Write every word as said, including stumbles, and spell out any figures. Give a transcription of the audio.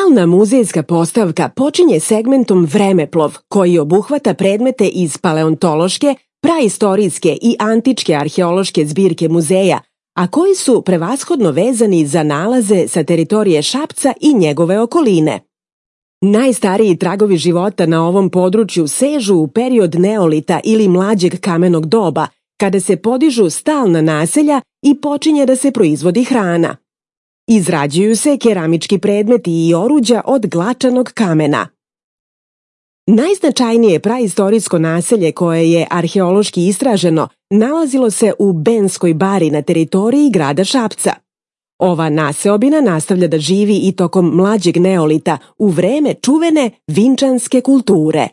Stalna muzejska postavka počinje segmentom Vremeplov, koji obuhvata predmete iz paleontološke, praistorijske i antičke arheološke zbirke muzeja, a koji su prevashodno vezani za nalaze sa teritorije Šapca i njegove okoline. Najstariji tragovi života na ovom području sežu u period neolita ili mlađeg kamenog doba, kada se podižu stalna naselja i počinje da se proizvodi hrana. Izrađuju se keramički predmeti i oruđa od glačanog kamena. Najznačajnije praistorijsko naselje koje je arheološki istraženo nalazilo se u Benskoj bari na teritoriji grada Šapca. Ova naseobina nastavlja da živi i tokom mlađeg neolita u vreme čuvene Vinčanske kulture.